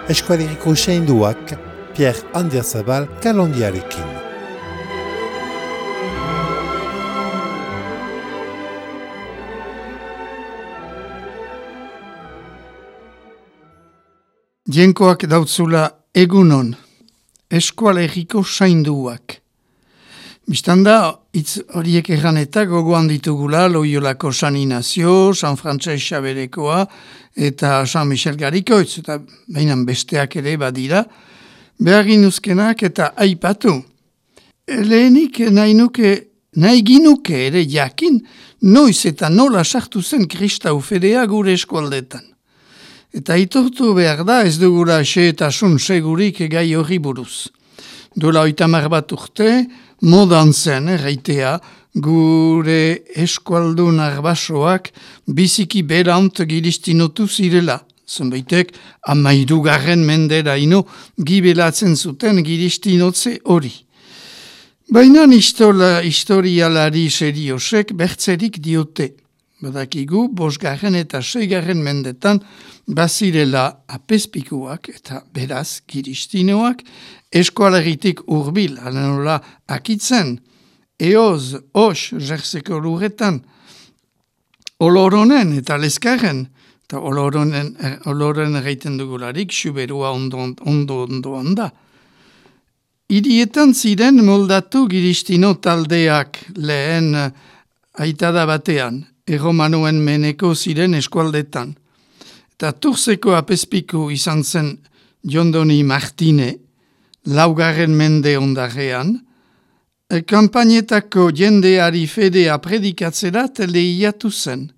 Eskualeriko Usainduak, Pierre Andiazabal Kalondiarekin. Jenkoak dautzula egunon, eskualeriko Usainduak. Bistanda, hitz horiek erran eta gogoan ditugula Loiolako San Inazio, San Frantses Xaberekoa eta San Michel Garikoitz, eta bainan besteak ere badira, behar ginuzkenak eta aipatu. Lehenik nahi ginuke ere jakin, noiz eta nola sartu zen kristau fedea gure eskualdetan. Eta itortu behar da ez dugula xeetasun segurik gai hori buruz. Dola 30 bat urte, modan zen, erraitea, gure eskualdun arbasoak biziki berant giristinotu zirela. Zenbaitek, 13. menderaino gibelatzen zuten giristinotze hori. Baina historialari seriosek bertzerik diote. Badakigu, 5. eta 6. mendetan bazirela apezpikuak eta beraz giristinoak eskualeritik urbil, alenola akitzen, eoz, os, jerseko lurretan, oloronen eta leskaren, eta oloren erraiten dugularik, xuberua ondo da. Hirietan ziren moldatu giristino taldeak lehen aitada batean, erromanuen meneko ziren eskualdetan. Eta Turzeko apezpiku izan zen Jondoni Martine, 4. mende ondarrean, kanpainetako jendeari fedea predikatzerat lehiatu zen.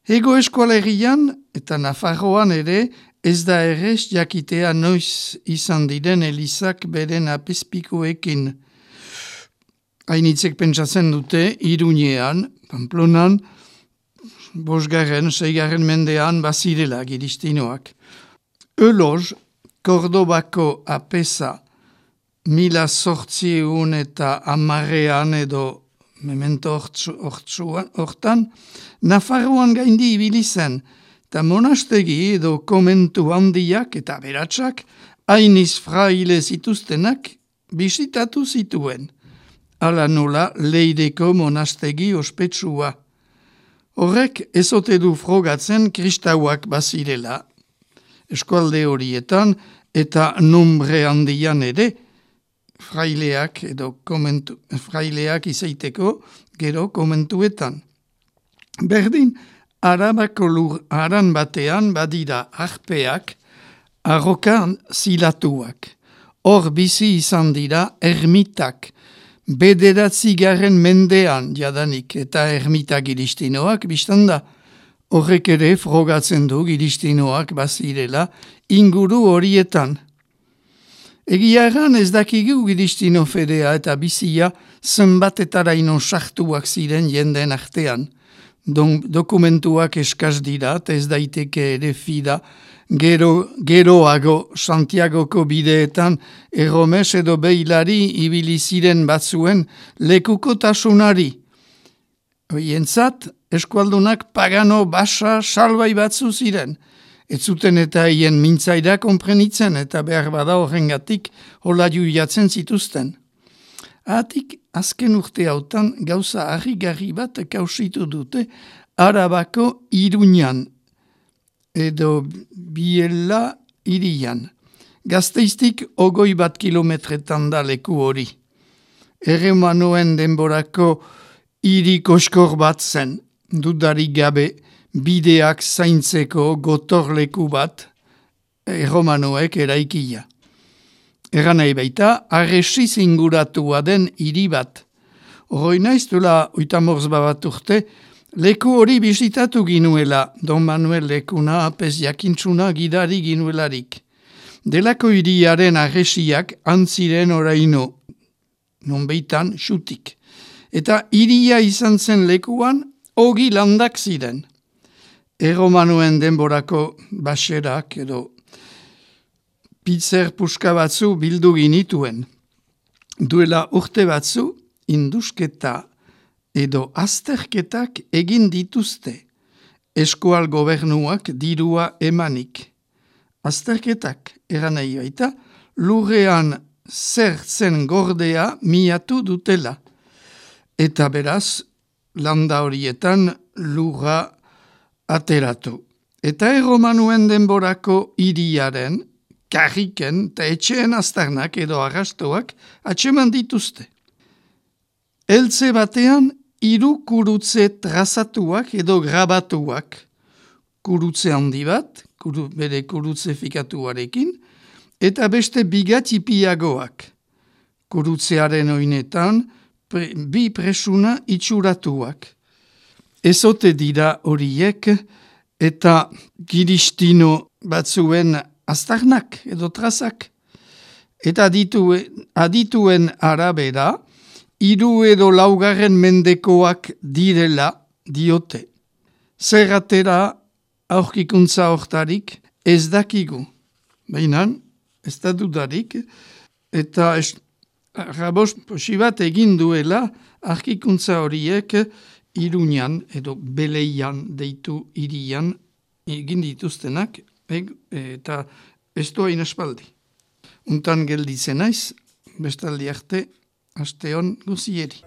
Hego eskualerian eta Nafarroan ere ez da errez jakitea noiz izan diren elizak beren apezpikuekin. Hainitzek pentsatzen dute Iruñean, Pamplonan, 5. 6. mendean bazirela giristinoak. Eloz, Kordobako apesa 1800 eta 10 edo memento hortan, Nafarroan gaindi ibili zen, eta monastegi edo komentu handiak eta beratsak, hainiz fraile zituztenak bisitatu zituen. Ala nola Leideko monastegi ospetsua. Horrek ezote du frogatzen kristauak bazirela. Eskualde horietan eta nombre handian ere, fraileak izaiteko gero komentuetan. Berdin, Arabako lur aran batean badira arpeak, arrokan zilatuak. Hor bizi izan dira ermitak, 9. mendean jadanik eta ermita giristinoak biztanda. Horrek ere frogatzen du giristinoak bazirela inguru horietan. Egia erran ez dakigu giristino fedea eta bizia zenbatetaraino sartuak ziren jenden artean. Dokumentuak eskaz dira, ez daiteke ere fida, geroago Santiagoko bideetan erromes edo beilari ibili ziren batzuen lekukotasunari. Hoientzat, eskualdunak pagano basa salbai batzu ziren. Ez zuten eta hien mintzaira konprenitzen eta behar bada horrengatik hola juiatzen zituzten. Atik, azken urte hautan gauza harrigarri bat kausitu dute Arabako Iruñan edo Biella hirian. Gazteiztik 21 kilometretan da leku hori. Erromanoen denborako hiri koskor bat zen, dudarik gabe bideak zaintzeko gotorleku bat erromanoek eraikia. Eran nahi baita, arresiz inguratua den hiri bat. Horoi naiz duela 30 bat urte, leku hori bizitatu ginuela, Don Manuel lekuna apez jakintzuna gidari ginuelarik. Delako hiriaren arresiak antziren oraino, nonbeitan xutik. Eta hiria izan zen lekuan, 20 landak ziren. Erromanuen denborako baserak edo pitzer puska batzu bildu ginituen. Duela urte batzu, indusketa edo azterketak egin dituzte. Eskual gobernuak dirua emanik. azterketak eranei baita, lurrean zer zen gordea miatu dutela. Eta beraz, landa horietan lurra ateratu. Eta erromanuen denborako hiriaren, karriken eta etxeen aztarnak edo arrastoak atseman dituzte. Eltze batean, 3 kurutze trazatuak edo grabatuak. Kurutze handi bat, bere kurutze fikatuarekin, eta beste bigatipiagoak. Kurutzearen oinetan, 2 presuna itxuratuak. Ezote dira horiek, eta giristino batzuen aztarnak edo trazak. Eta adituen arabera, 3 edo 4 mendekoak direla diote. Zer atera aurkikuntza hortarik ez dakigu. Baina ez da dudarik, eta rabos posibat egin duela aurkikuntza horiek Iruñan edo Beleian deitu hirian egin dituztenak, eta ez du hain espaldi. Untan gelditzen naiz, bestaldi arte, aste hon guzieri.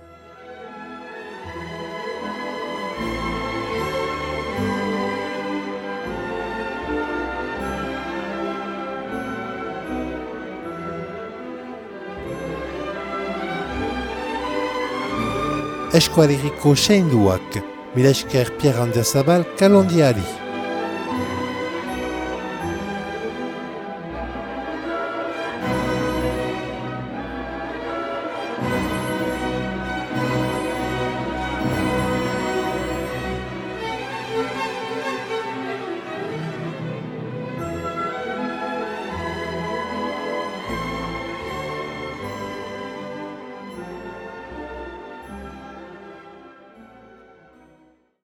Eskualeriko seinduak, mila esker Pierre Andiazabal kalondiari.